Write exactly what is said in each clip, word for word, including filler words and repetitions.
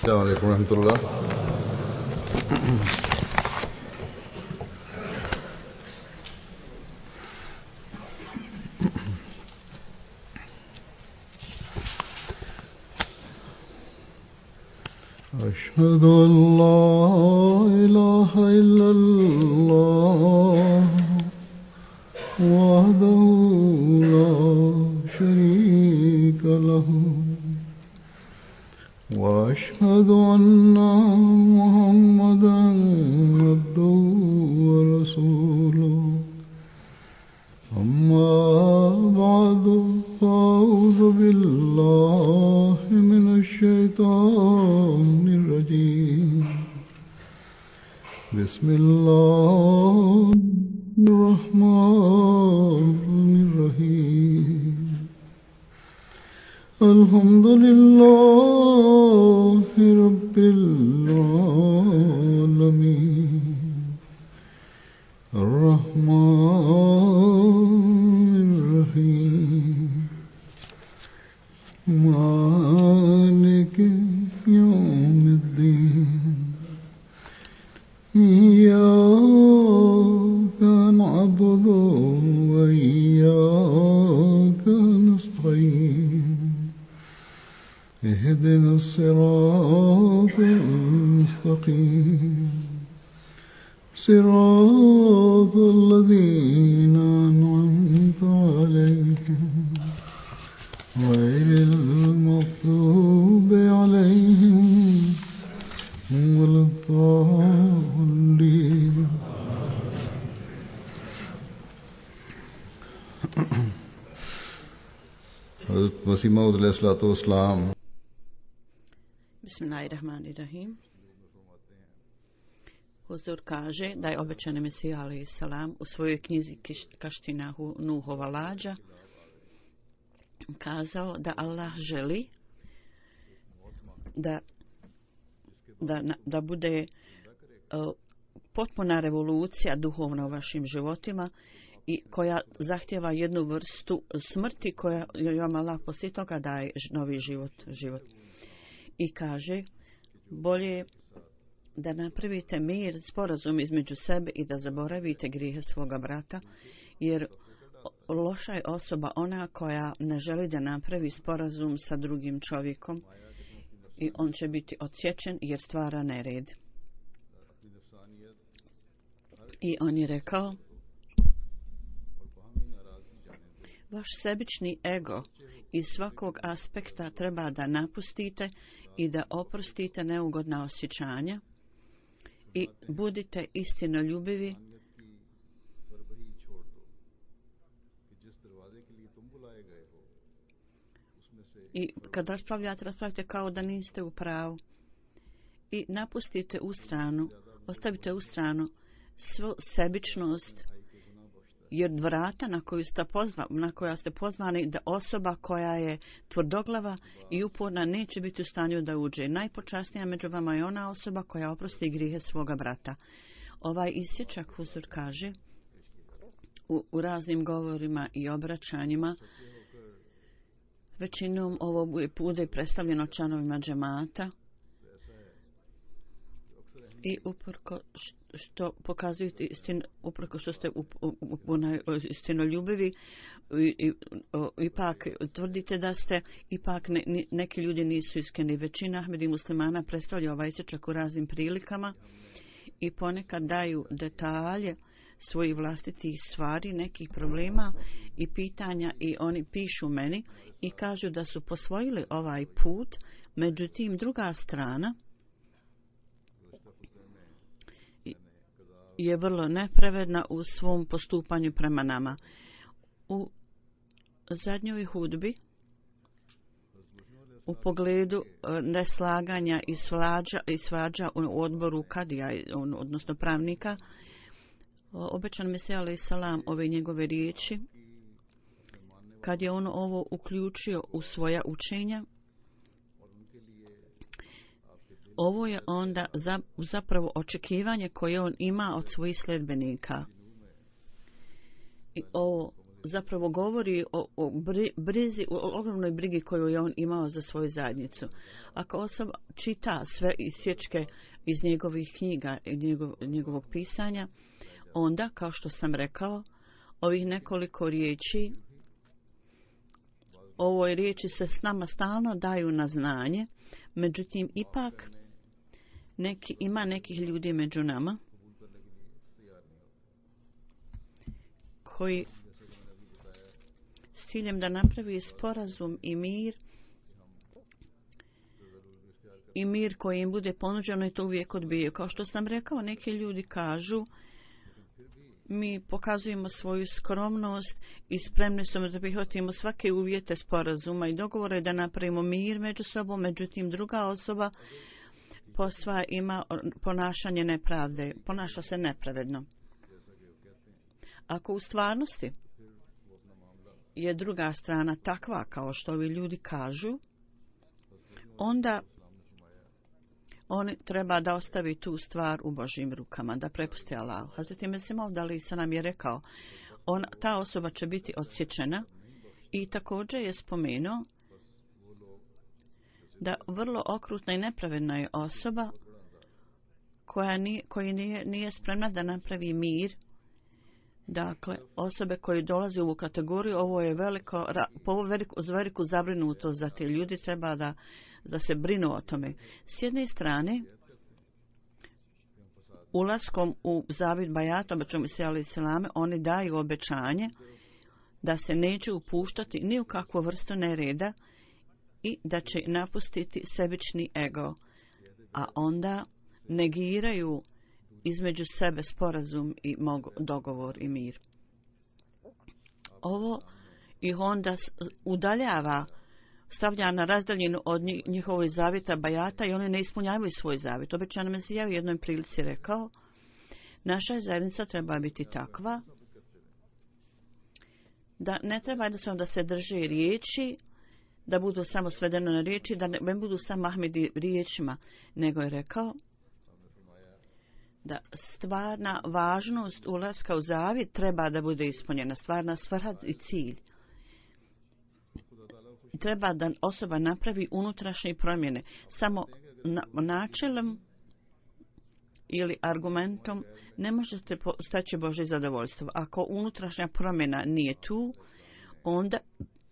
السلام عليكم ورحمة الله. أشهد أن لا إله إلا الله وحده لا شريك له وأشهد أن محمدا عبده ورسوله أما بعد فأعوذ بالله من الشيطان الرجيم بسم الله الرحمن الرحيم الحمد لله رب العالمين الرحمن الرحيم مالك يوم الدين إياك نعبد وإياك نستعين اهدنا الصراط المستقيم صراط الذين أنعمت عليهم غير المغضوب عليهم ولا الضالين. حضرت مسیح موعود علیہ الصلوۃ والسلام. Bismillahirrahmanirrahim. Huzur kaže da je obećani Mesija alejhi selam u svojoj knjizi Kaština Nuhova lađa kazao da Allah želi da da, da bude uh, potpuna revolucija duhovna u vašim životima i koja zahtjeva jednu vrstu smrti koja vam Allah poslije toga daje novi život, život. I kaže bolje da napravite mir, sporazum između sebe i da zaboravite grijehe svoga brata, jer loša je osoba ona koja ne želi da napravi sporazum sa drugim čovjekom i on će biti odsječen jer stvara nered. I on je rekao, vaš sebični ego iz svakog aspekta treba da napustite i da oprostite neugodna osjećanja i budite istinoljubivi i kad raspravljate, raspravljate kao da niste u pravu i napustite u stranu, ostavite u stranu svu sebičnost, jer vrata na koju ste pozva, na koja ste pozvani da osoba koja je tvrdoglava i uporna neće biti u stanju da uđe. Najpočasnija među vama je ona osoba koja oprosti grijehe svoga brata. Ovaj isječak Huzur kaže u, u raznim govorima i obraćanjima, većinom ovo bude predstavljeno članovima džemata i uporko što pokazujete istinu, uprko što ste istinoljubivi, ipak tvrdite da ste, ipak ne, neki ljudi nisu iskreni. Većina Ahmedi muslimana predstavlja ovaj isječak u raznim prilikama i ponekad daju detalje svojih vlastitih stvari, nekih problema i pitanja i oni pišu meni i kažu da su posvojili ovaj put, međutim druga strana je vrlo nepravedna u svom postupanju prema nama. U zadnjoj hudbi u pogledu neslaganja i svađa, i svađa u odboru kadija, odnosno pravnika, obećan Mesija alejhi selam ove njegove riječi, kad je on ovo uključio u svoja učenja, ovo je onda zapravo očekivanje koje on ima od svojih sledbenika. I ovo zapravo govori o, o brizi, o ogromnoj brigi koju je on imao za svoju zajednicu. Ako osoba čita sve isječke iz njegovih knjiga i njegov, njegovog pisanja, onda, kao što sam rekao, ovih nekoliko riječi, ovoj riječi se s nama stalno daju na znanje, međutim, ipak neki, ima nekih ljudi među nama koji s ciljem da napravi sporazum i mir i mir koji im bude ponuđeno i to uvijek odbijaju. Kao što sam rekao, neki ljudi kažu mi pokazujemo svoju skromnost i spremni smo da prihvatimo svake uvjete sporazuma i dogovore da napravimo mir među sobom, međutim druga osoba posva ima ponašanje nepravde, ponaša se nepravedno. Ako u stvarnosti je druga strana takva kao što ovi ljudi kažu, onda on treba da ostavi tu stvar u Božjim rukama, da prepusti Allahu. Hazreti Mesih Maud alejhi selam je rekao, on, ta osoba će biti odsječena i također je spomenuo da vrlo okrutna i nepravedna je osoba koja nije, koji nije, nije spremna da napravi mir. Dakle, osobe koje dolaze u ovu kategoriju, ovo je veliko, po veliku, veliku zabrinutost za te ljudi, treba da, da se brinu o tome. S jedne strane, ulaskom u zavit bajata, obećamo se alejhi selame, oni daju obećanje da se neće upuštati ni u kakvu vrstu nereda i da će napustiti sebični ego, a onda negiraju između sebe sporazum i mog, dogovor i mir. Ovo ih onda udaljava, stavlja na razdaljinu od njihovoj zavjeta bajata i oni ne ispunjavaju svoj zavjet. Obećani Mesija u jednoj prilici rekao, naša zajednica treba biti takva da ne treba jednostavno da se drže riječi, da budu samo svedeno na riječi, da ne budu samo Ahmedi riječima, nego je rekao da stvarna važnost ulaska u zavjet treba da bude ispunjena, stvarna svrha i cilj. Treba da osoba napravi unutrašnje promjene. Samo na, načelom ili argumentom ne možete staći Božje zadovoljstvo. Ako unutrašnja promjena nije tu, onda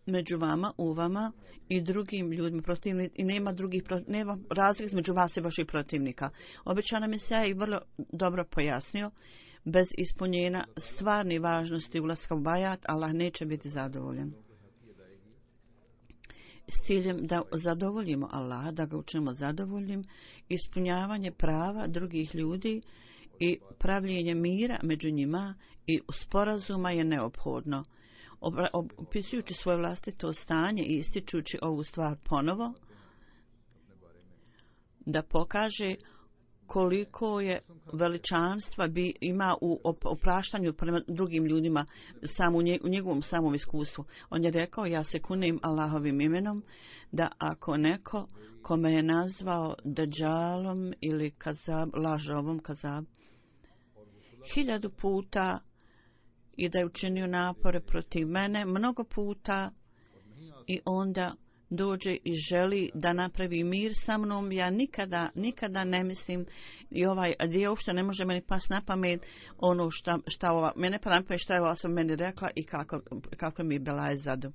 među vama, u vama i drugim ljudima protivni, i nema drugih, nema razlike između vas i vaših protivnika. Obećana Mesija je vrlo dobro pojasnio, bez ispunjenja stvarne važnosti ulaska u bajat, Allah neće biti zadovoljan. S ciljem da zadovoljimo Allah, da ga učinimo zadovoljnim, ispunjavanje prava drugih ljudi i pravljenje mira među njima i sporazuma je neophodno. Opisujući svoje vlastito stanje i ističući ovu stvar ponovo, da pokaže koliko je veličanstva bi ima u opraštanju prema drugim ljudima sam u, nje, u njegovom samom iskustvu. On je rekao, ja se kunem Allahovim imenom, da ako neko kome je nazvao Dajjalom ili kazab, lažovom kazab, hiljadu puta i da je učinio napore protiv mene mnogo puta i onda dođe i želi da napravi mir sa mnom, ja nikada, nikada ne mislim i ovaj dio uopšte ne može meni pas na pamet ono šta, šta ova, mene pa na pamet šta je ova sam meni rekla i kako, kako mi je bila je zadu.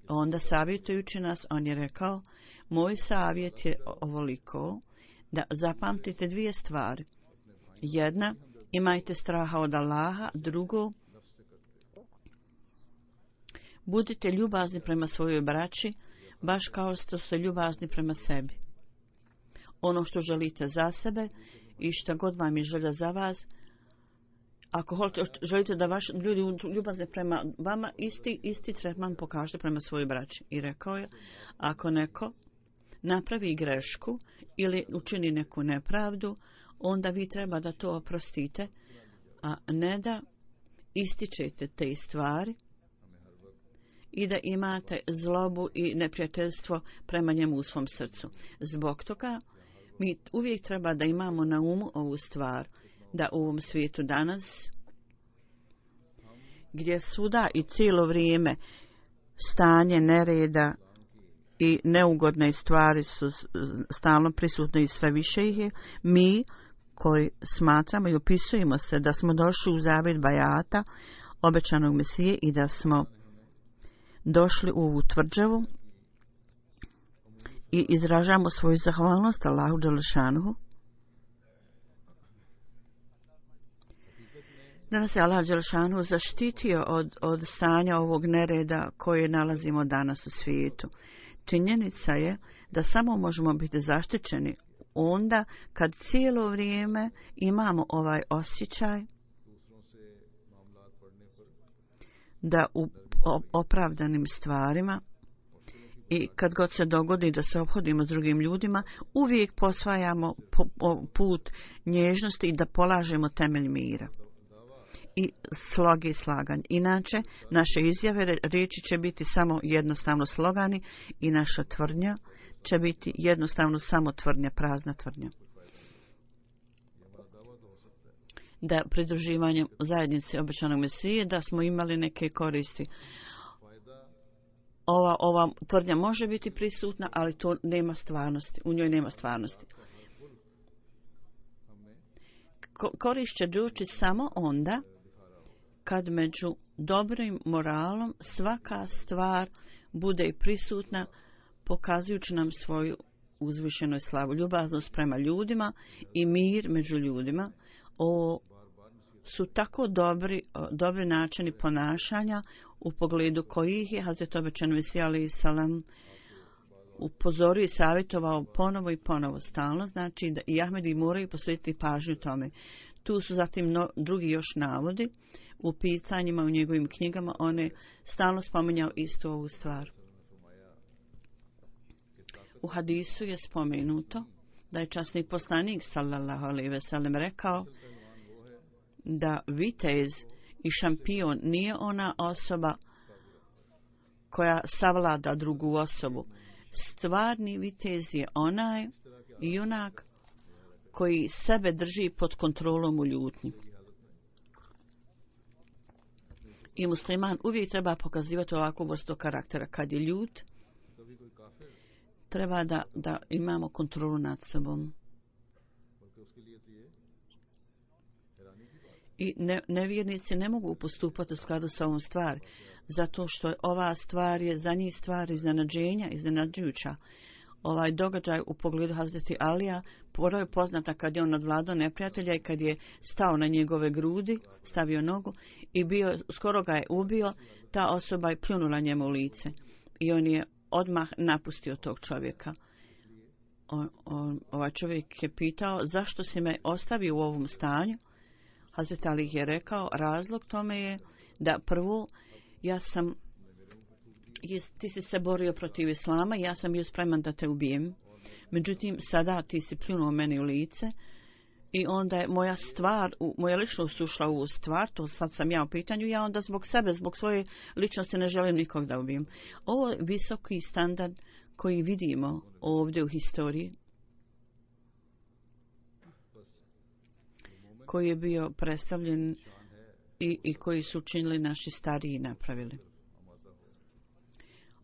Onda savjetujući nas, on je rekao, moj savjet je ovoliko, da zapamtite dvije stvari. Jedna, imajte straha od Allaha, drugo, budite ljubazni prema svojoj braći, baš kao što ste ljubazni prema sebi. Ono što želite za sebe i što god vam je želja za vas, ako želite da vaši ljudi ljubazni prema vama, isti, isti tretman pokažete prema svojoj braći. I rekao je, ako neko napravi grešku ili učini neku nepravdu, onda vi treba da to oprostite, a ne da ističete te stvari i da imate zlobu i neprijateljstvo prema njemu u svom srcu. Zbog toga mi uvijek treba da imamo na umu ovu stvar, da u ovom svijetu danas gdje svuda i cijelo vrijeme stanje nereda i neugodne stvari su stalno prisutne i sve više ih je, mi koji smatramo i opisujemo se da smo došli u zavjet bajata obećanog Mesije i da smo došli u ovu tvrđavu i izražavamo svoju zahvalnost Allahu Đelešanuhu. Da nas je Allah Đelešanuhu zaštitio od, od stanja ovog nereda koje nalazimo danas u svijetu. Činjenica je da samo možemo biti zaštićeni onda kad cijelo vrijeme imamo ovaj osjećaj da u opravdanim stvarima i kad god se dogodi da se ophodimo s drugim ljudima, uvijek posvajamo put nježnosti i da polažemo temelj mira i sloge i slaganje. Inače, naše izjave riječi će biti samo jednostavno slogani i naša tvrdnja će biti jednostavno samo tvrdnja, prazna tvrdnja. Da pridruživanjem zajednice obećanog Mesije da smo imali neke koristi. Ova, ova tvrdnja može biti prisutna, ali to nema stvarnosti. U njoj nema stvarnosti. Ko, korist će doći samo onda kad među dobrim moralom svaka stvar bude prisutna, pokazujući nam svoju uzvišenu slavu, ljubaznost prema ljudima i mir među ljudima. O, su tako dobri, dobri načini ponašanja u pogledu kojih je Hazret obećan Mesija alejhi salam upozorio i savjetovao ponovo i ponovo stalno, znači da i Ahmedi moraju posvetiti pažnju tome. Tu su zatim no, drugi još navodi u pitanjima u njegovim knjigama, on je stalno spominjao istu ovu stvar. U hadisu je spomenuto da je časni poslanik sallallahu alejhi ve sellem rekao da vitez i šampion nije ona osoba koja savlada drugu osobu. Stvarni vitez je onaj junak koji sebe drži pod kontrolom u ljutnji. I musliman uvijek treba pokazivati ovakvu vrstu karaktera. Kad je ljut, treba da, da imamo kontrolu nad sobom. I ne, nevjernici ne mogu postupati u skladu sa ovom stvari, zato što ova stvar je za njih stvar iznenađenja, iznenađujuća. Ovaj događaj u pogledu Hazreti Alija prvo je poznata kad je on nadvladao neprijatelja i kad je stao na njegove grudi, stavio nogu i bio, skoro ga je ubio, ta osoba je pljunula njemu u lice i on je odmah napustio tog čovjeka. On, on, ovaj čovjek je pitao zašto si me ostavio u ovom stanju. Hazret Ali je rekao, razlog tome je da prvo ja sam, ti si se borio protiv islama, ja sam bio spreman da te ubijem. Međutim, sada ti si pljunuo meni u lice i onda je moja stvar, moja ličnost ušla u ovu stvar, to sad sam ja u pitanju, ja onda zbog sebe, zbog svoje ličnosti ne želim nikog da ubijem. Ovo je visoki standard koji vidimo ovdje u historiji, koji je bio predstavljen i, i koji su učinili naši stariji i napravili.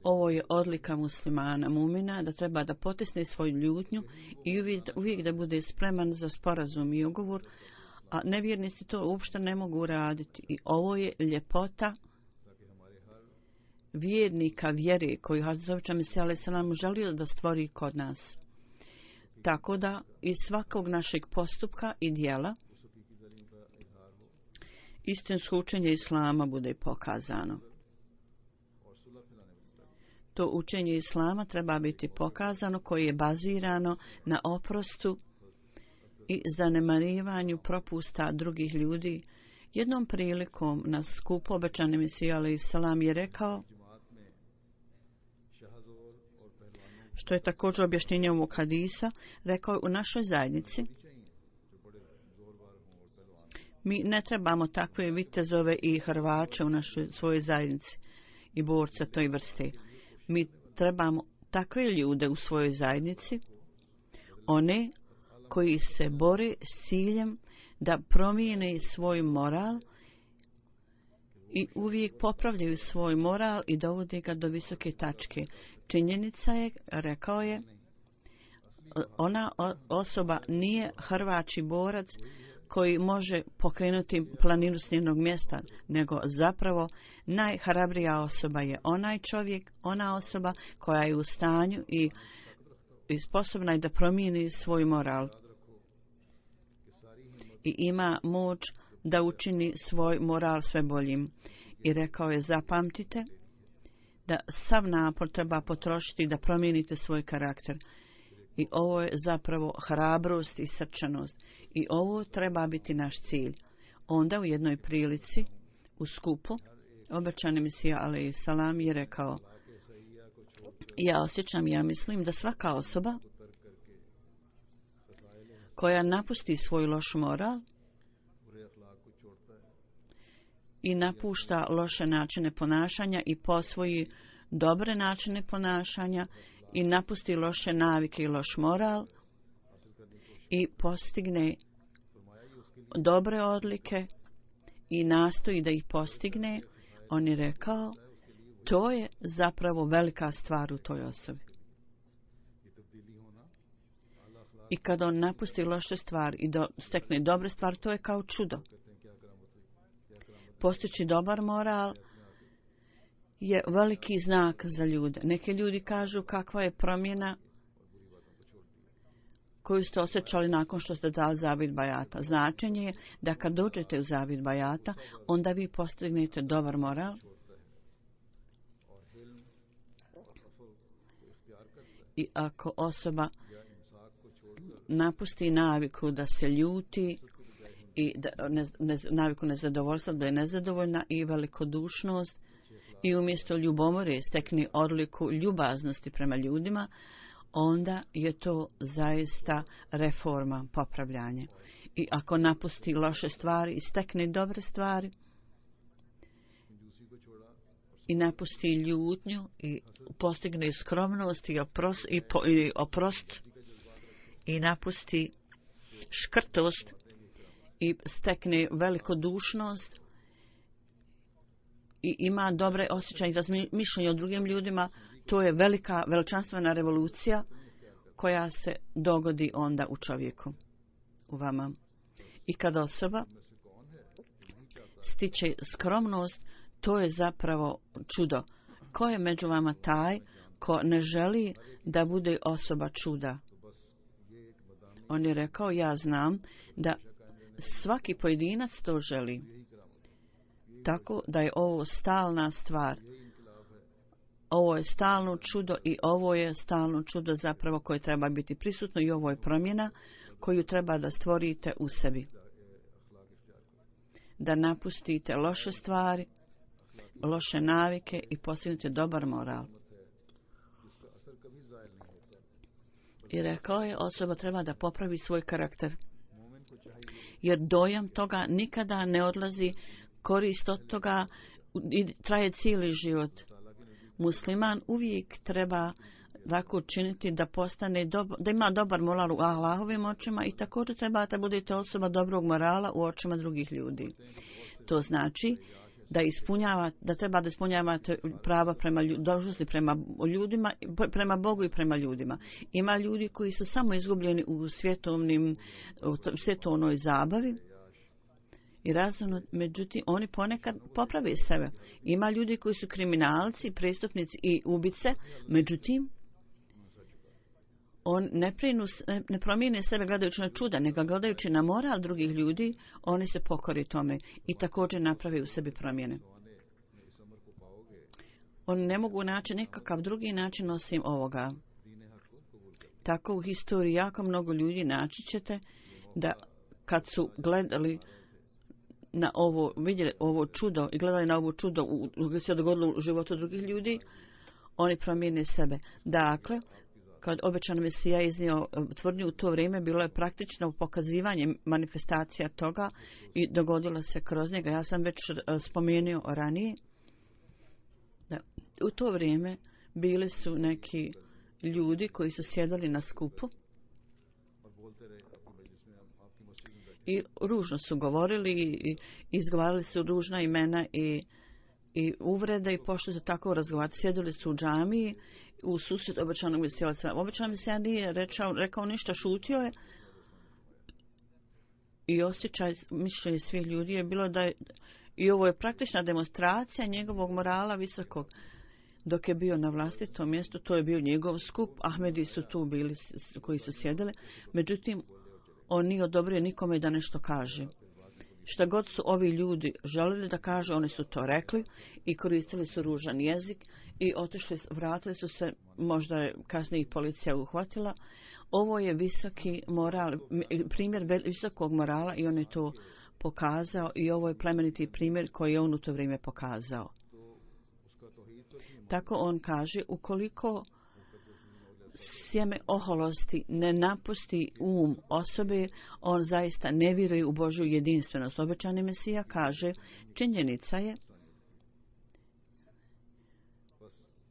Ovo je odlika muslimana, mumina, da treba da potisne svoju ljutnju i uvijek, uvijek da bude spreman za sporazum i ugovor, a nevjernici to uopšte ne mogu raditi. I ovo je ljepota vjernika vjere koju Hazret Mesija alejhi selam želio da stvori kod nas. Tako da iz svakog našeg postupka i dijela istinsko učenje islama bude pokazano. To učenje islama treba biti pokazano koje je bazirano na oprostu i zanemarivanju propusta drugih ljudi. Jednom prilikom na skupu obećani Mesija alejhi selam je rekao, što je također objašnjenje ovog hadisa, rekao je u našoj zajednici mi ne trebamo takve vitezove i hrvače u našoj svojoj zajednici i borca toj vrste. Mi trebamo takve ljude u svojoj zajednici, one koji se bore s ciljem da promijene svoj moral i uvijek popravljaju svoj moral i dovode ga do visoke tačke. Činjenica je, rekao je, ona osoba nije hrvači borac koji može pokrenuti planinu s njenog mjesta, nego zapravo najhrabrija osoba je onaj čovjek, ona osoba koja je u stanju i, i sposobna je da promijeni svoj moral i ima moć da učini svoj moral sve boljim. I rekao je, zapamtite da sav napor treba potrošiti da promijenite svoj karakter. I ovo je zapravo hrabrost i srčanost. I ovo treba biti naš cilj. Onda u jednoj prilici, u skupu, obećani Mesija alejhi salam je rekao, ja osjećam, ja mislim da svaka osoba koja napusti svoj loš moral i napušta loše načine ponašanja i posvoji dobre načine ponašanja i napusti loše navike i loš moral i postigne dobre odlike i nastoji da ih postigne, on je rekao, to je zapravo velika stvar u toj osobi. I kada on napusti loše stvari i do, stekne dobre stvari, to je kao čudo. Postići dobar moral je veliki znak za ljude. Neki ljudi kažu kakva je promjena koju ste osjećali nakon što ste dali zavid bajata. Značenje je da kad dođete u zavid bajata, onda vi postignete dobar moral i ako osoba napusti naviku da se ljuti i da, ne, ne, naviku nezadovoljstva, da je nezadovoljna i velikodušnost i umjesto ljubomore stekne odliku ljubaznosti prema ljudima, onda je to zaista reforma, popravljanje. I ako napusti loše stvari i stekne dobre stvari i napusti ljutnju i postigne skromnost i, opros, i, po, i oprost i napusti škrtost i stekne velikodušnost i ima dobre osjećaje i razmišljanje o drugim ljudima, to je velika, veličanstvena revolucija koja se dogodi onda u čovjeku, u vama. I kada osoba stiče skromnost, to je zapravo čudo. Ko je među vama taj ko ne želi da bude osoba čuda? On je rekao, ja znam da svaki pojedinac to želi. Tako da je ovo stalna stvar. Ovo je stalno čudo i ovo je stalno čudo zapravo koje treba biti prisutno i ovo je promjena koju treba da stvorite u sebi. Da napustite loše stvari, loše navike i postignete dobar moral. I rekao je, osoba treba da popravi svoj karakter. Jer dojam toga nikada ne odlazi, korist od toga i traje cijeli život. Musliman uvijek treba tako učiniti da postane dobo, da ima dobar moral u Allahovim očima i također treba da budete osoba dobrog morala u očima drugih ljudi. To znači da ispunjavate, da treba da ispunjavate prava prema dužnosti prema ljudima, prema Bogu i prema ljudima. Ima ljudi koji su samo izgubljeni u svjetovnim, u svjetovnoj zabavi i razumno, međutim, oni ponekad poprave sebe. Ima ljudi koji su kriminalci, prestupnici i ubice, međutim, on ne, prinu, ne promijene sebe gledajući na čuda, nego gledajući na moral drugih ljudi, oni se pokori tome i također naprave u sebi promjene. Oni ne mogu naći nekakav drugi način osim ovoga. Tako u historiji jako mnogo ljudi naći ćete da kad su gledali na ovo, vidjeli ovo čudo i gledali na ovo čudo u, u, se dogodilo u životu drugih ljudi, oni promijene sebe. Dakle, kad obećan Mesija iznio tvrdnju u to vrijeme, bilo je praktično pokazivanje manifestacija toga i dogodilo se kroz njega. Ja sam već spomenuo ranije da u to vrijeme bili su neki ljudi koji su sjedali na skupu i ružno su govorili i izgovarali su ružna imena i i uvrede i pošto su tako razgovarati. Sjedili su u džamiji u susret obećanog Mesija. Obećanog Mesija nije rečao, rekao ništa, šutio je. I osjećaj mišljenje svih ljudi je bilo da je, i ovo je praktična demonstracija njegovog morala visokog. Dok je bio na vlastitom mjestu, to je bio njegov skup, Ahmedi su tu bili koji su sjedili, međutim, on nije odobrio nikome da nešto kaže. Šta god su ovi ljudi želili da kaže, oni su to rekli i koristili su ružan jezik i otišli, vratili su se, možda je kasnije ih policija uhvatila. Ovo je visoki moral, primjer visokog morala i on je to pokazao i ovo je plemeniti primjer koji je on u to vrijeme pokazao. Tako on kaže, ukoliko sjeme oholosti ne napusti um osobe, on zaista ne vjeruje u Božju jedinstvenost. Obećani Mesija kaže, činjenica je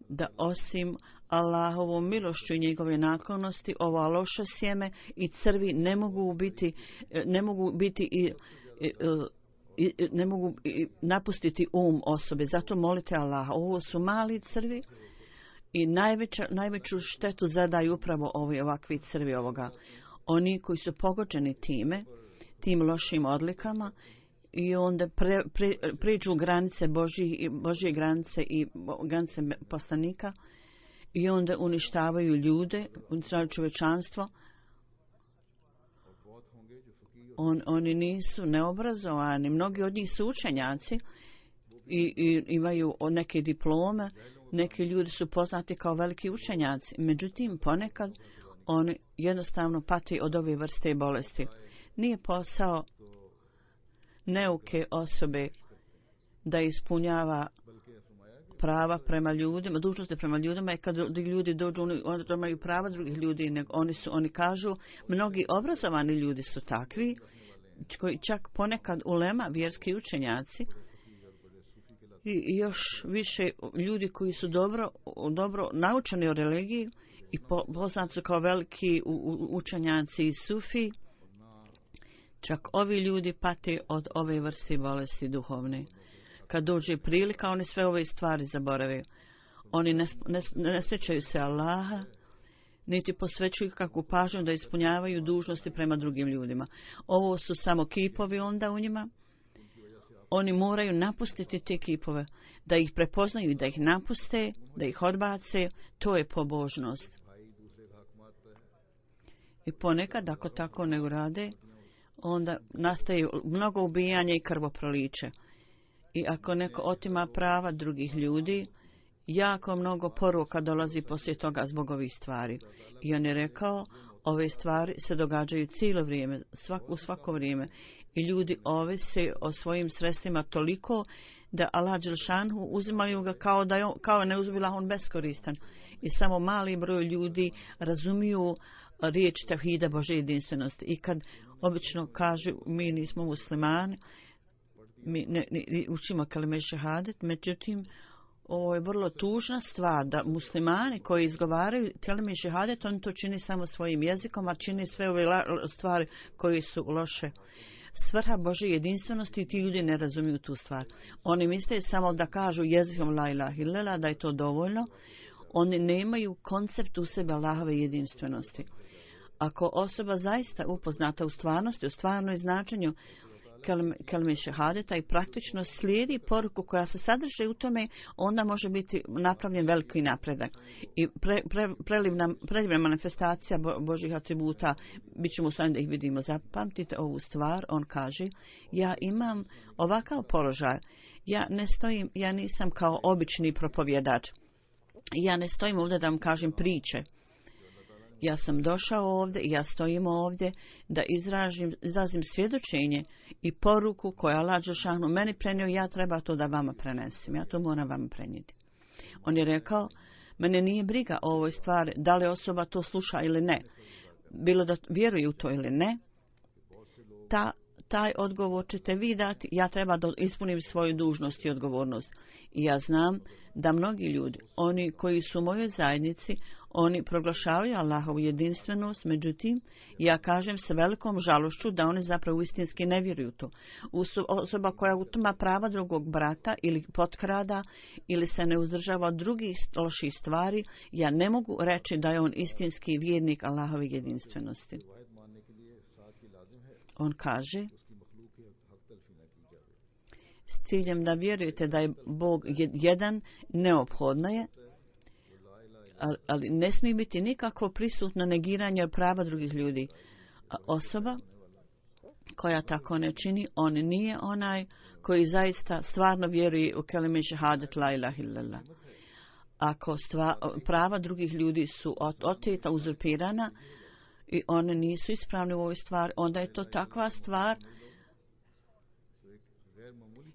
da osim Allahovom milošću i njegove naklonosti, ova loša sjeme i crvi ne mogu biti, ne mogu biti i, i, i ne mogu napustiti um osobe. Zato molite Allaha. Ovo su mali crvi i najveća, najveću štetu zadaju upravo ovi ovakvi crvi ovoga. Oni koji su pogođeni time, tim lošim odlikama i onda pre, pre, priđu granice Božje, Božje granice i granice poslanika i onda uništavaju ljude, uništavaju čovječanstvo. On, oni nisu neobrazovani, mnogi od njih su učenjaci i, i imaju neke diplome, neki ljudi su poznati kao veliki učenjaci, međutim ponekad oni jednostavno pati od ove vrste bolesti. Nije posao neuke osobe da ispunjava prava prema ljudima, dužnosti prema ljudima i kad ljudi dođu, oni imaju prava drugih ljudi, nego oni su, oni kažu, mnogi obrazovani ljudi su takvi, koji čak ponekad ulema, vjerski učenjaci, i još više ljudi koji su dobro, dobro naučeni o religiji i poznati su kao veliki učenjaci i sufi, čak ovi ljudi pate od ove vrste bolesti duhovne. Kad dođe prilika, oni sve ove stvari zaborave. Oni ne, ne, ne sjećaju se Allaha, niti posvećuju kakvu pažnju da ispunjavaju dužnosti prema drugim ljudima. Ovo su samo kipovi onda u njima. Oni moraju napustiti te kipove, da ih prepoznaju i da ih napuste, da ih odbace. To je pobožnost. I ponekad, ako tako ne urade, onda nastaje mnogo ubijanja i krvoproliće. I ako neko otima prava drugih ljudi, jako mnogo poruka dolazi poslije toga zbog ovih stvari. I on je rekao, ove stvari se događaju cijelo vrijeme, svak, u svako vrijeme. I ljudi ovise o svojim sredstvima toliko da Allah dželšanhu uzimaju ga kao da je, kao ne uzbila on beskoristan. I samo mali broj ljudi razumiju riječ tevhida Božje jedinstvenosti. I kad obično kažu mi nismo muslimani, mi ne, ne učimo kalime šehadet, međutim ovo je vrlo tužna stvar da muslimani koji izgovaraju kalime šehadet, on to čini samo svojim jezikom, a čini sve ove stvari koje su loše. Svrha Božje jedinstvenosti i ti ljudi ne razumiju tu stvar. Oni misle samo da kažu jezikom la ilaha illallah, da je to dovoljno. Oni nemaju koncept u sebe Allahove jedinstvenosti. Ako osoba zaista upoznata u stvarnosti, u stvarnoj značenju kalime šehadeta i praktično slijedi poruku koja se sadrži u tome, onda može biti napravljen veliki napredak. I pre, pre, prelivna, prelivna manifestacija Bo, Božjih atributa, bit ćemo sami da ih vidimo. Zapamtite ovu stvar, on kaže, ja imam ovakav položaj, ja ne stojim, ja nisam kao obični propovjedač, ja ne stojim ovdje da vam kažem priče. Ja sam došao ovdje i ja stojim ovdje da izražim, izrazim svjedočenje i poruku koja Allah dželešanu meni prenio, ja treba to da vama prenesem. Ja to moram vama prenijeti. On je rekao, mene nije briga o ovoj stvari, da li osoba to sluša ili ne. Bilo da vjeruje u to ili ne, ta, taj odgovor ćete vi dati, ja treba da ispunim svoju dužnost i odgovornost. I ja znam da mnogi ljudi, oni koji su u mojoj zajednici, oni proglašavaju Allahovu jedinstvenost, međutim, ja kažem sa velikom žalošću da oni zapravo istinski ne vjeruju to. Osoba koja utma prava drugog brata ili potkrada ili se ne uzdržava od drugih loših stvari, ja ne mogu reći da je on istinski vjernik Allahove jedinstvenosti. On kaže, s ciljem da vjerujete da je Bog jedan, neophodno je, ali ne smije biti nikakvo prisutno negiranje prava drugih ljudi. A osoba koja tako ne čini, on nije onaj koji zaista stvarno vjeruje u kelime šehadet la ilaha illallah. Ako stva, prava drugih ljudi su oteta, uzurpirana i one nisu ispravne u ovoj stvari, onda je to takva stvar,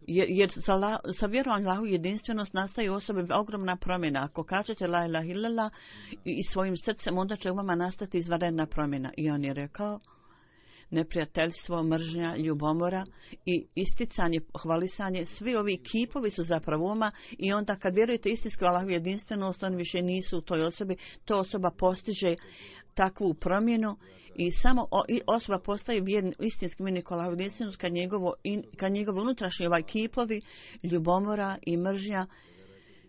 jer, jer sa, la, sa vjerom Allahu jedinstvenost nastaje u osobi ogromna promjena. Ako kažete la ilaha illallah i, i svojim srcem, onda će u vama nastati izvanredna promjena. I on je rekao, neprijateljstvo, mržnja, ljubomora i isticanje, hvalisanje, svi ovi kipovi su zapravo uma i onda kad vjerujete istinski u Allahu jedinstvenost, oni više nisu u toj osobi, to osoba postiže takvu promjenu i samo osoba postaje vjerni, istinski vjernik Allahu jedinstvenost kad njegovo, kad njegovo unutrašnji ovaj kipovi, ljubomora i mržnja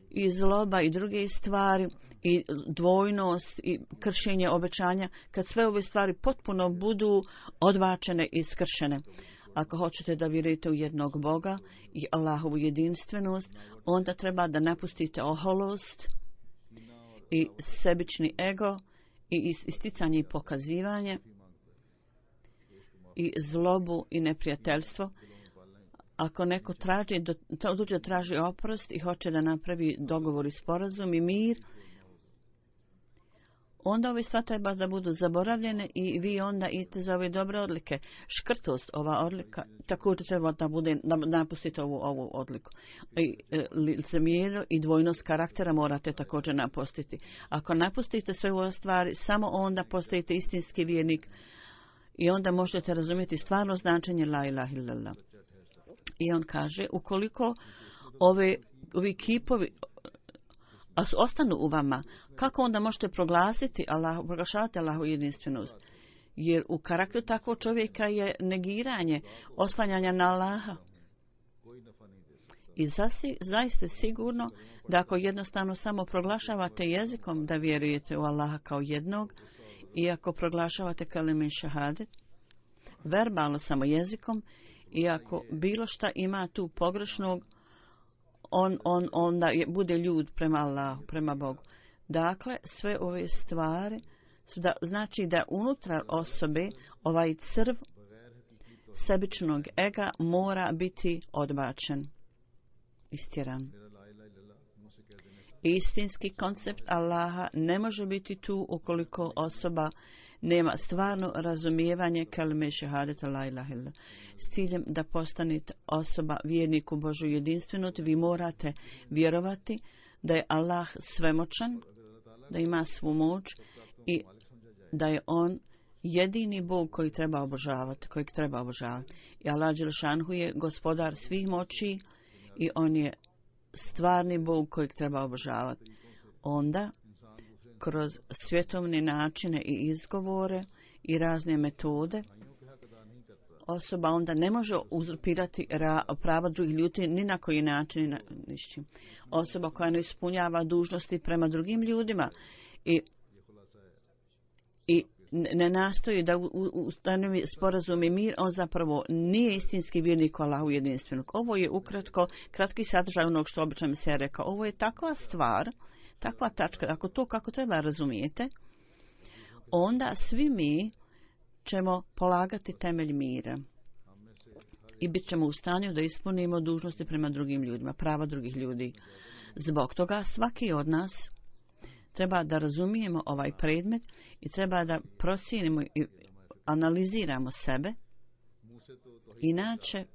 i zloba i druge stvari i dvojnost i kršenje obećanja, kad sve ove stvari potpuno budu odbačene i skršene. Ako hoćete da vjerujete u jednog Boga i Allahovu jedinstvenost, onda treba da napustite oholost i sebični ego i isticanje i pokazivanje i zlobu i neprijateljstvo. Ako neko traži, dođe da traži oprost i hoće da napravi dogovor i sporazum i mir, onda ove stvari treba da budu zaboravljene i vi onda idete za ove dobre odlike. Škrtost, ova odlika, također treba da bude, da napustite ovu, ovu odliku. I e, licemjerje i dvojnost karaktera morate također napustiti. Ako napustite sve ove stvari, samo onda postajete istinski vjernik i onda možete razumjeti stvarno značenje la ilaha illallah. I on kaže, ukoliko ove, ovi kipovi a ostanu u vama, kako onda možete proglasiti Allah, proglašavati Allahu jedinstvenost? Jer u karakteru takvog čovjeka je negiranje, oslanjanja na Allaha. I zasi, zaista sigurno da ako jednostavno samo proglašavate jezikom da vjerujete u Allaha kao jednog, i ako proglašavate kalime šehadet, verbalno samo jezikom, i ako bilo šta ima tu pogrešnog, on, on, onda je, bude ljud prema Allahu, prema Bogu. Dakle, sve ove stvari su da, znači da unutar osobe ovaj crv sebičnog ega mora biti odbačen, istjeran. Istinski koncept Allaha ne može biti tu ukoliko osoba nema stvarno razumijevanje kalime šehadeta la ilaha illallah. S ciljem da postanete osoba vjernik u Božju jedinstvenost, vi morate vjerovati da je Allah svemoćan, da ima svu moć i da je on jedini Bog koji treba obožavati, kojeg treba obožavati. I Allah dželešanu je gospodar svih moći i on je stvarni Bog kojeg treba obožavati. Onda kroz svjetovne načine i izgovore i razne metode, osoba onda ne može uzurpirati prava drugih ljudi ni na koji način. Nišćim. Osoba koja ne ispunjava dužnosti prema drugim ljudima i, i ne nastoji da ustanovi sporazum i mir, on zapravo nije istinski vjernik Allahu jedinstvenog. Ovo je ukratko kratki sadržaj onog što obično se rekao. Ovo je takva stvar, takva tačka, ako to kako treba razumijete, onda svi mi ćemo polagati temelj mira i bit ćemo u stanju da ispunimo dužnosti prema drugim ljudima, prava drugih ljudi. Zbog toga svaki od nas treba da razumijemo ovaj predmet i treba da procijenimo i analiziramo sebe. Inače,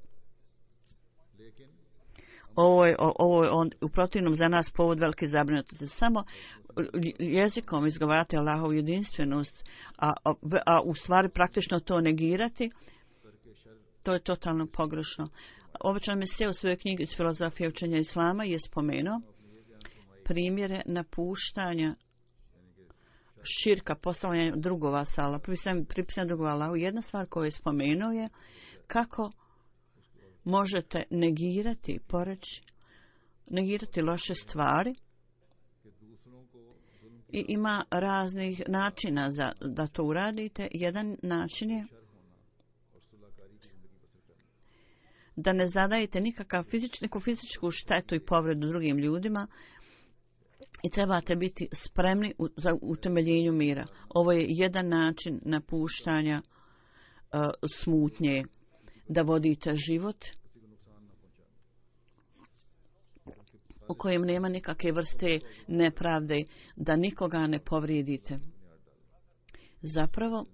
ovo je, ovo je on, u protivnom za nas povod velike zabrinutosti. Samo jezikom izgovarati Allahovu jedinstvenost, a, a, a u stvari praktično to negirati, To je totalno pogrešno. Obično mi se u svojoj knjigi iz filozofije učenja islama je spomenuo primjere napuštanja širka, postavljanja drugova sa Allah, pripisanja drugova Allahu. Jedna stvar koju je spomenuo je kako možete negirati, poreći, negirati loše stvari i ima raznih načina za da to uradite. Jedan način je da ne zadajete nikakav fizič, neku fizičku štetu i povredu drugim ljudima i trebate biti spremni u, za utemeljenju mira. Ovo je jedan način napuštanja uh, smutnje, da vodite život u kojem nema nikakve vrste nepravde, da nikoga ne povrijedite. Zapravo,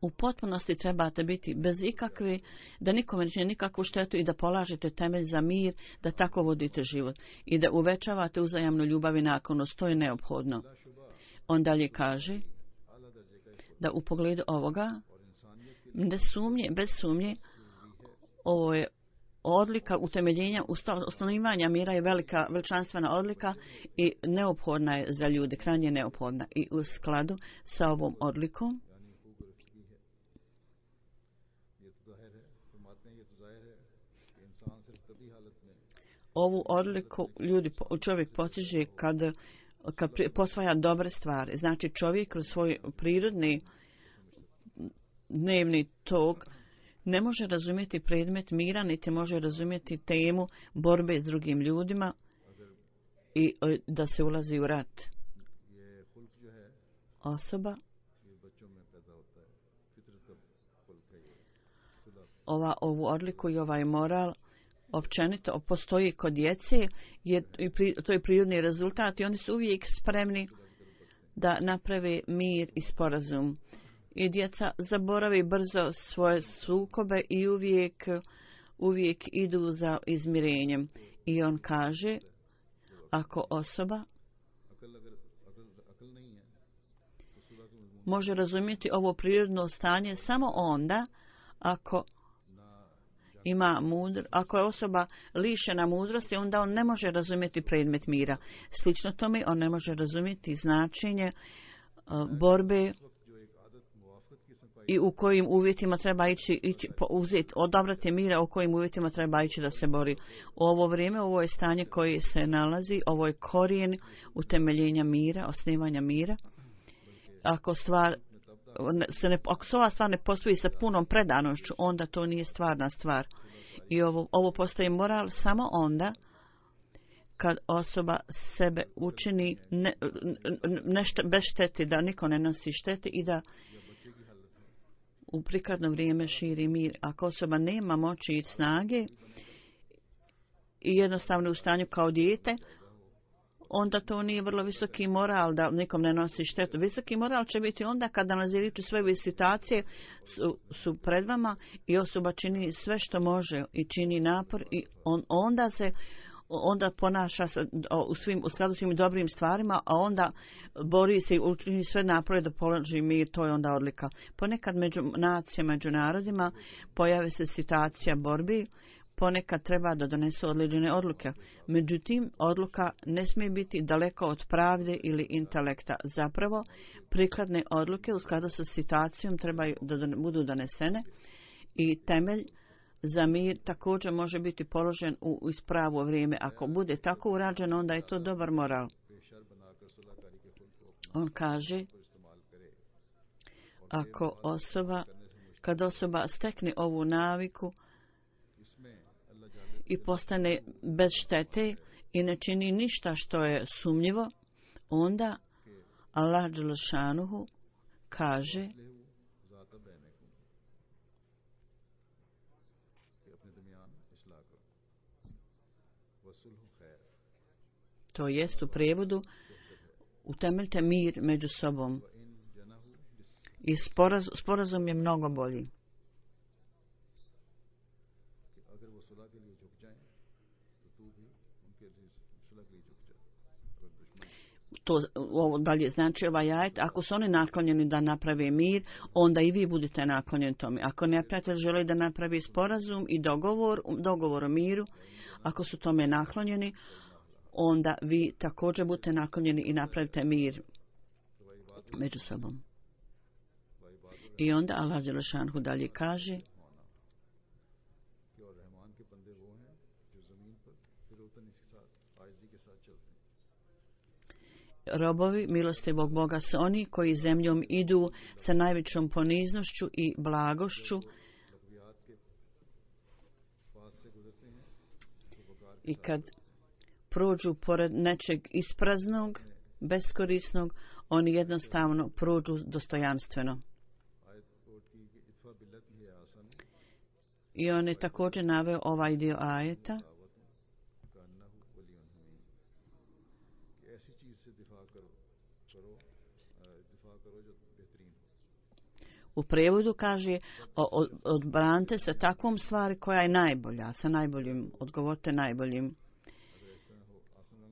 u potpunosti trebate biti bez ikakve, da nikome ne čini nikakvu štetu i da polažete temelj za mir, da tako vodite život i da uvećavate uzajamnu ljubav i naklonost. To je neophodno. On dalje kaže da u pogledu ovoga, bez sumnje, bez sumnje, ovo je odlika utemeljenja, ustanovivanja mira je velika, veličanstvena odlika i neophodna je za ljude, krajnje neophodna. I u skladu sa ovom odlikom ovu odliku ljudi, čovjek postiže kad, kad posvaja dobre stvari. Znači čovjek kroz svoj prirodni dnevni tok ne može razumjeti predmet mira, niti može razumjeti temu borbe s drugim ljudima i da se ulazi u rat. Osoba ova, ovu odliku i ovaj moral općenito postoji kod djece, je, to je prirodni rezultat i oni su uvijek spremni da naprave mir i sporazum. I djeca zaboravi brzo svoje sukobe i uvijek, uvijek idu za izmirenjem. I on kaže, ako osoba može razumjeti ovo prirodno stanje samo onda ako ima mudr, ako je osoba lišena mudrosti, onda on ne može razumjeti predmet mira. Slično tome, on ne može razumjeti značenje uh, borbe i u kojim uvjetima treba ići, ići uzeti, odabrati mira, u kojim uvjetima treba ići da se bori. U ovo vrijeme, ovo je stanje koje se nalazi, ovo je korijen utemeljenja mira, osnivanja mira. Ako stvar se ne, ako se ova stvar ne postoji sa punom predanošću, onda to nije stvarna stvar. I ovo, ovo postoji moral samo onda kad osoba sebe učini ne, nešto bez štete, da niko ne nosi štete i da u prikladno vrijeme širi mir. Ako osoba nema moći i snage i jednostavno u stanju kao dijete, onda to nije vrlo visoki moral da nikom ne nosi štetu. Visoki moral će biti onda kada analizirate sve situacije su, su pred vama i osoba čini sve što može i čini napor i on, onda se onda ponaša se u, svim, u skladu svim dobrim stvarima, a onda bori se i učini sve napore da položi mir, to je onda odlika. Ponekad među nacijama, među narodima pojave se situacija borbi, ponekad treba da donesu određene odluke. Međutim, odluka ne smije biti daleko od pravde ili intelekta. Zapravo, prikladne odluke u skladu sa situacijom trebaju da budu donesene i temelj za mir također može biti položen u ispravo vrijeme. Ako bude tako urađeno, onda je to dobar moral. On kaže, ako osoba, kad osoba stekne ovu naviku i postane bez štete i ne čini ništa što je sumnjivo, onda Allah dželešanuhu kaže to jest u prijevodu utemeljte mir među sobom i sporaz, sporazum je mnogo bolji. to ovo dalje znači ovaj ajet, ako su oni naklonjeni da naprave mir, onda i vi budete naklonjeni tome. Ako neprijatelj želi da napravi sporazum i dogovor, dogovor o miru, ako su tome naklonjeni, onda vi također budete naklonjeni i napravite mir među sobom. I onda Allah dželešanhu dalje kaže: robovi milostivog Boga su oni koji zemljom idu sa najvećom poniznošću i blagošću i kad prođu pored nečeg ispraznog, beskorisnog, oni jednostavno prođu dostojanstveno. I on je također naveo ovaj dio ajeta. U prevodu kaže: odbranite se takvom stvari koja je najbolja, sa najboljim, odgovorite najboljim.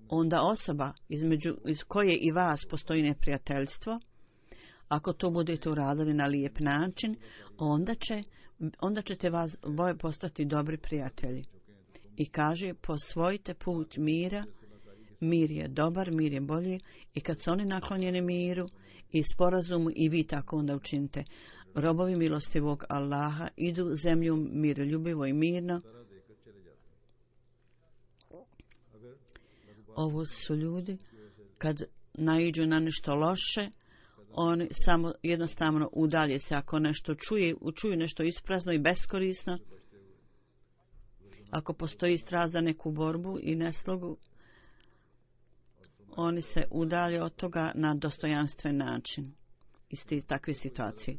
Onda osoba između iz koje i vas postoji neprijateljstvo, ako to budete uradili na lijep način, onda će onda ćete vas boje postati dobri prijatelji. I kaže: posvojite put mira, mir je dobar, mir je bolji, i kad su oni naklonjeni miru i sporazumu, i vi tako onda učinite. Robovi milostivog Allaha idu zemljom miroljubivo i mirno. Ovo su ljudi kad naiđu na nešto loše, oni samo jednostavno udalje se. Ako nešto čuje, čuju nešto isprazno i beskorisno, ako postoji strast za neku borbu i neslogu, oni se udalje od toga na dostojanstven način iz te takve situacije.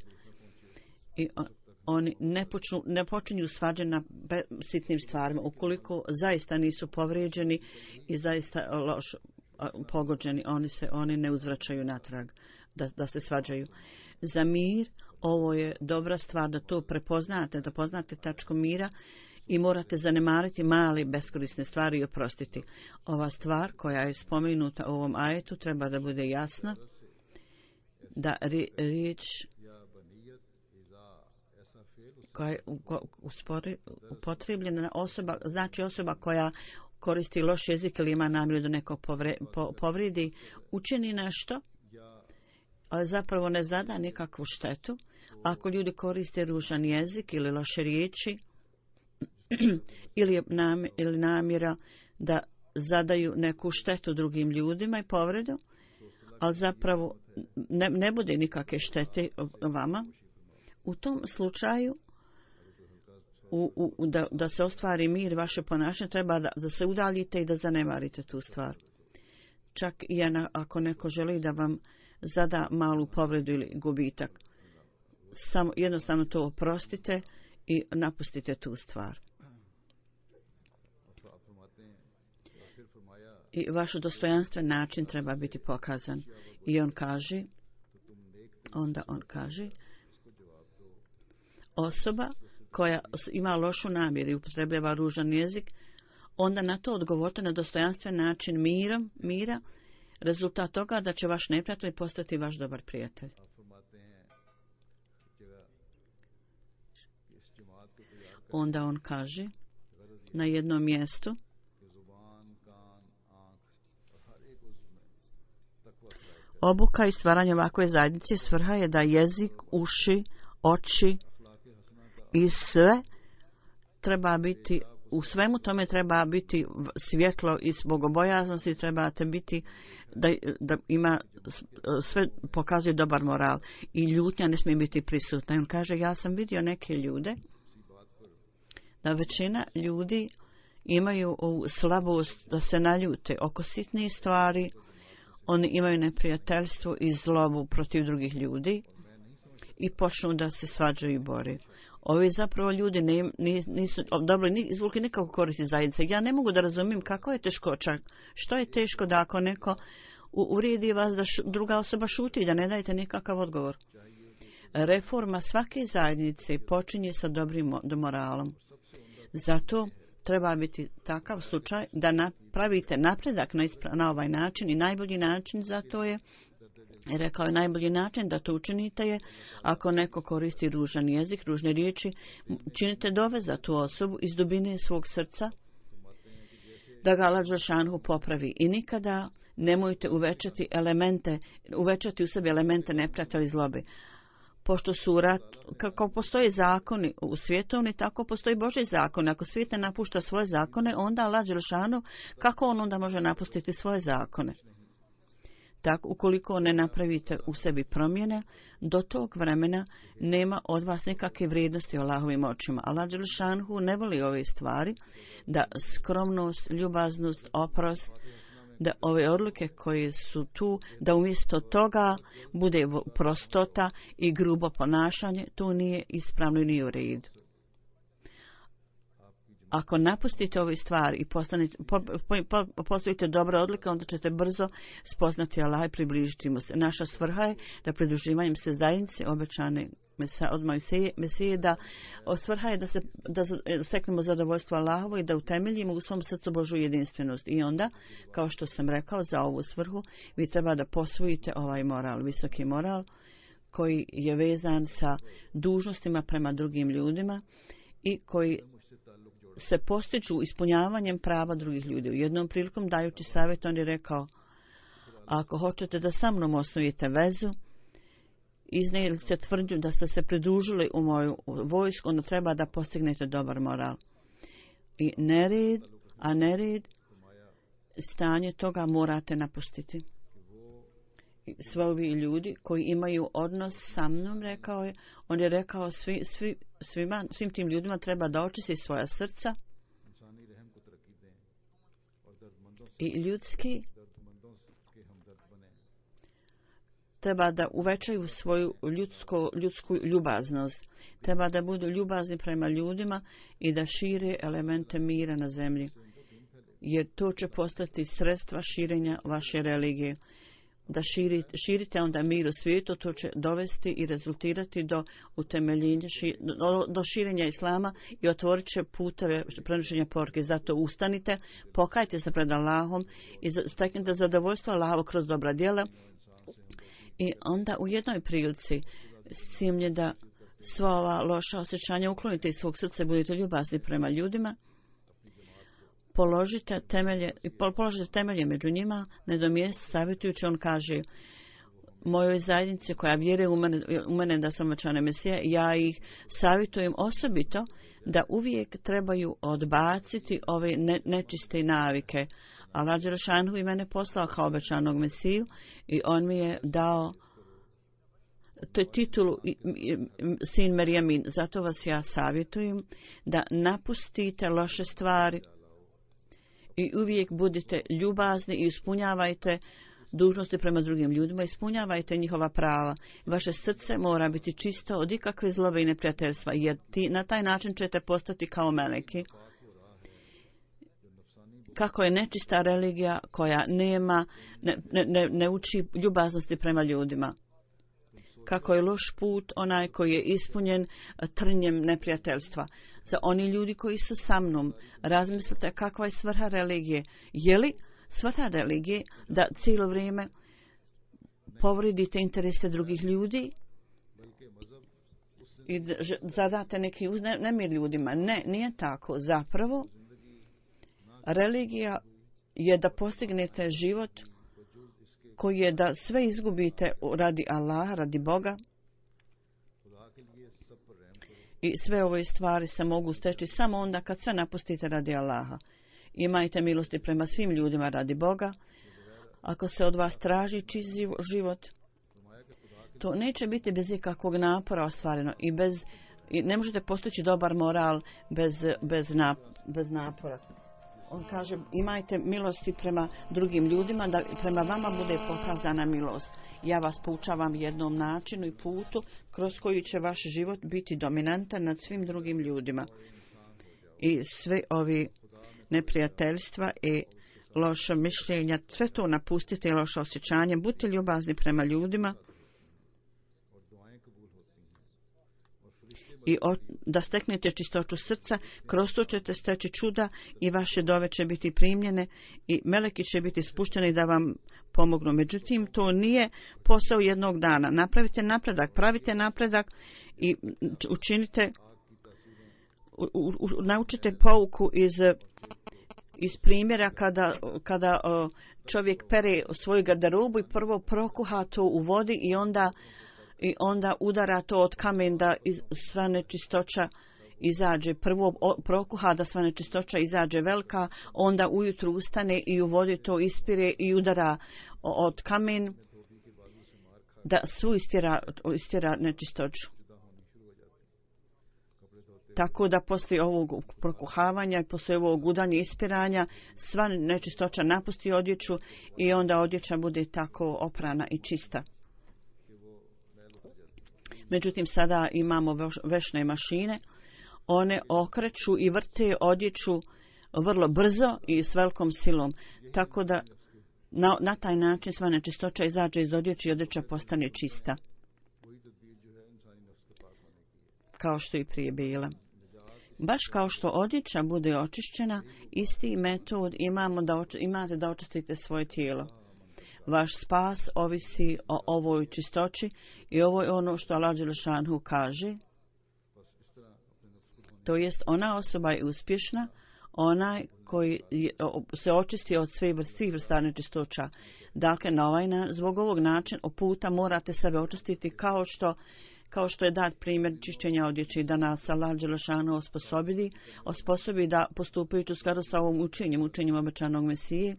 I on, oni ne, počnu, ne počinju svađe na be, sitnim stvarima, ukoliko zaista nisu povrijeđeni i zaista loš, pogođeni, oni se oni ne uzvraćaju natrag da, da se svađaju. Za mir ovo je dobra stvar da to prepoznate, da poznate tačku mira i morate zanemariti male beskorisne stvari i oprostiti. Ova stvar koja je spomenuta u ovom ajetu treba da bude jasna, da riječ koja je upotrebljena osoba, znači osoba koja koristi loš jezik ili ima namjeru da nekog povre, po, povredi, učini nešto, ali zapravo ne zada nikakvu štetu. Ako ljudi koriste ružan jezik ili loše riječi, ili, nam, ili namjera da zadaju neku štetu drugim ljudima i povredu, ali zapravo ne, ne bude nikakve štete vama, u tom slučaju u, u, da, da se ostvari mir, vaše ponašanje treba da, da se udaljite i da zanemarite tu stvar. Čak i ako neko želi da vam zada malu povredu ili gubitak, samo jednostavno to oprostite i napustite tu stvar. I vaš dostojanstven način treba biti pokazan. I on kaže, onda on kaže, osoba koja ima lošu namjeru i upotrebljava ružan jezik, onda na to odgovorite na dostojanstven način mirom, mira, rezultat toga da će vaš neprijatelj postati vaš dobar prijatelj. Onda on kaže na jednom mjestu, obuka i stvaranje ovakve zajednice svrha je da jezik, uši, oči i sve treba biti, u svemu tome treba biti svjetlo iz bogobojaznosti, trebate biti da, da ima sve pokazuje dobar moral i ljutnja ne smije biti prisutna. I on kaže, ja sam vidio neke ljude da većina ljudi imaju slabost da se naljute oko sitnih stvari. Oni imaju neprijateljstvo i zlobu protiv drugih ljudi i počnu da se svađaju i bore. Ovi zapravo ljudi ne, nisu dobro izvukli nikako koristi zajednice. Ja ne mogu da razumijem kako je teškoća. Što je teško da ako neko uvrijedi vas da š, druga osoba šuti, da ne dajete nikakav odgovor. Reforma svake zajednice počinje sa dobrim moralom. Zato treba biti takav slučaj da na, pravite napredak na, ispra, na ovaj način i najbolji način za to je, rekao je najbolji način da to učinite je, ako neko koristi ružan jezik, ružne riječi, činite dove za tu osobu iz dubine svog srca, da ga Allah dželešanu popravi. I nikada nemojte uvećati elemente, uvećati u sebi elemente neprijatelja i zlobe. Pošto su rat, kako postoje zakoni u svjetovni, tako postoji Božji zakon. Ako svijet ne napušta svoje zakone, onda Allah dželešanu, kako on onda može napustiti svoje zakone? Tako, ukoliko ne napravite u sebi promjene, do tog vremena nema od vas nikakve vrijednosti u Allahovim očima. Allah dželešanu ne voli ove stvari, da skromnost, ljubaznost, oprost, da ove odluke koje su tu, da umjesto toga bude prostota i grubo ponašanje, to nije ispravno i nije u redu. Ako napustite ove stvari i postanete, po, po, po, postavite dobre odluke, onda ćete brzo spoznati Allah i približiti mu se. Naša svrha je da pridruživanjem se zajednice obećane mesa, od Mesije, Mesije da svrha je da se da steknemo zadovoljstvo Allahovo i da utemeljimo u svom srcu Božju jedinstvenost. I onda, kao što sam rekao, za ovu svrhu vi treba da posvojite ovaj moral, visoki moral koji je vezan sa dužnostima prema drugim ljudima i koji se postiču ispunjavanjem prava drugih ljudi. U jednom prilikom dajući savjet on je rekao, ako hoćete da sa mnom osnovite vezu, iznijeli ste tvrdnju da ste se pridružili u moju vojsku, onda treba da postignete dobar moral. I nered, a nered, stanje toga morate napustiti. Sve ovi ljudi koji imaju odnos sa mnom, rekao je, on je rekao svi, svi, svima, svim tim ljudima treba da očisti svoja srca i ljudski treba da uvećaju svoju ljudsko, ljudsku ljubaznost. Treba da budu ljubazni prema ljudima i da šire elemente mira na zemlji. Jer to će postati sredstva širenja vaše religije. Da širite, širite onda mir u svijetu, to će dovesti i rezultirati do utemeljenja, ši, do, do širenja islama i otvorit će puteve prenošenja poruke. Zato ustanite, pokajte se pred Allahom i steknite zadovoljstvo Allahovo kroz dobra djela. I onda u jednoj prilici simlje da sva ova loša osjećanja uklonite iz svog srca i budete ljubazni prema ljudima. Položite temelje, položite temelje među njima, nedomijest savjetujući, on kaže, mojoj zajednici koja vjeruje u mene, u mene da sam obećana Mesija, ja ih savjetujem osobito da uvijek trebaju odbaciti ove ne, nečiste navike. Allah dželešanu i mene poslao kao obećanog Mesiju i on mi je dao titulu sin Merjamin. Zato vas ja savjetujem da napustite loše stvari i uvijek budite ljubazni i ispunjavajte dužnosti prema drugim ljudima, ispunjavajte njihova prava. Vaše srce mora biti čisto od ikakve zlobe i neprijateljstva, jer ti, na taj način ćete postati kao meleki. Kako je nečista religija koja nema, ne, ne, ne uči ljubaznosti prema ljudima. Kako je loš put onaj koji je ispunjen trnjem neprijateljstva. Za oni ljudi koji su sa mnom, razmislite kakva je svrha religije. Je li svrha religije da cijelo vrijeme povredite interese drugih ljudi i zadate neki nemir ljudima? Ne, nije tako. Zapravo, religija je da postignete život koji je da sve izgubite radi Allaha, radi Boga. I sve ove stvari se mogu steći samo onda kad sve napustite radi Allaha. Imajte milosti prema svim ljudima radi Boga. Ako se od vas traži čist život, to neće biti bez ikakvog napora ostvareno i bez i ne možete postići dobar moral bez, bez, nap, bez napora. On kaže, imajte milosti prema drugim ljudima, da prema vama bude pokazana milost. Ja vas poučavam jednom načinu i putu kroz koji će vaš život biti dominantan nad svim drugim ljudima. I sve ovi neprijateljstva i loše mišljenja, sve to napustite i loše osjećanje. Budite ljubazni prema ljudima i o, da steknete čistoću srca, kroz to ćete steći čuda i vaše dove će biti primljene i meleki će biti spušteni da vam pomognu. Međutim, to nije posao jednog dana. Napravite napredak, pravite napredak i učinite, u, u, naučite pouku iz, iz primjera kada, kada o, čovjek pere svoju garderobu i prvo prokuha to u vodi i onda i onda udara to od kamen da sva nečistoća izađe. Prvo prokuha da sva nečistoća izađe velika, onda ujutru ustane i u vodi to ispire i udara od kamen da svu istjera, istjera nečistoću. Tako da poslije ovog prokuhavanja i poslije ovog udanja i ispiranja sva nečistoća napusti odjeću i onda odjeća bude tako oprana i čista. Međutim, sada imamo vešne mašine, one okreću i vrte odjeću vrlo brzo i s velikom silom, tako da na, na taj način sva nečistoća izađe iz odjeće i odjeća postane čista, kao što i prije bila. Baš kao što odjeća bude očišćena, isti metod imamo da oč, imate da očistite svoje tijelo. Vaš spas ovisi o ovoj čistoći i ovo je ono što Allah Đelešanu kaže. To jest, ona osoba je uspješna, onaj koji je, se očisti od svih vrsti vrsta nečistoća. Dakle, na ovaj, zbog ovog načina puta morate sebe očistiti kao što, kao što je dat primjer čišćenja odjeće da nas Allah Đelešanu osposobi, osposobi da postupajući u skladu sa ovom učenjem, učenjem obećanog Mesije,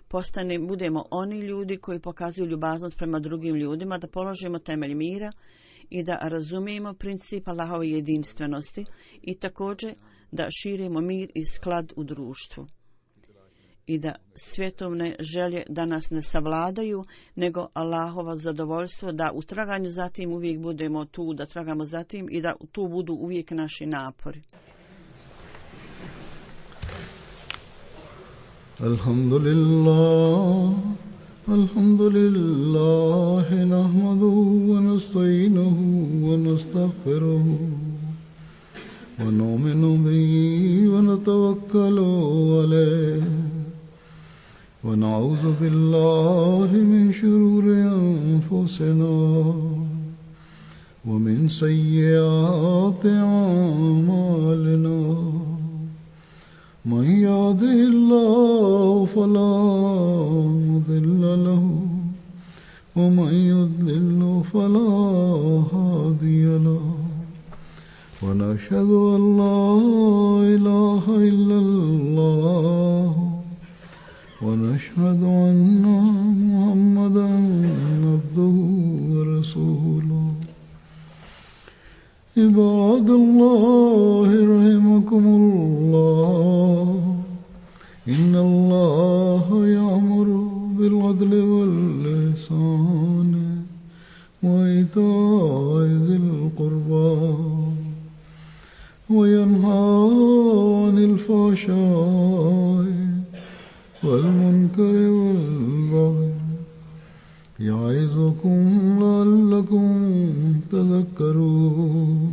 postane, budemo oni ljudi koji pokazuju ljubaznost prema drugim ljudima, da položimo temelj mira i da razumijemo princip Allahove jedinstvenosti i također da širimo mir i sklad u društvu. I da svjetovne želje da nas ne savladaju, nego Allahova zadovoljstvo da u traganju zatim uvijek budemo tu, da tragamo zatim i da tu budu uvijek naši napori. Alhamdulillah, alhamdulillah, nahmaduhu wa nasta'inuhu wa nastaghfiruhu wa nu'minu bihi wa natawakkalu alayhi wa na'udhu billahi min shururi anfusina wa min sayyiati a'malina. من يهده الله فلا مضل له ومن يضلل فلا هادي له ونشهد أن لا إله إلا الله ونشهد أن محمدا عبده ورسوله. عباد الله رحمكم الله إن الله يأمر بالعدل والإحسان وإيتاء ذي القربى وينهى عن الفحشاء والمنكر والبغي يعظكم لعلكم تذكرون.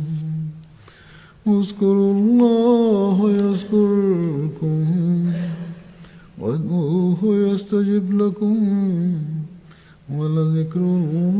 اذكروا الله يذكركم وادعوه يستجب لكم ولذكر الله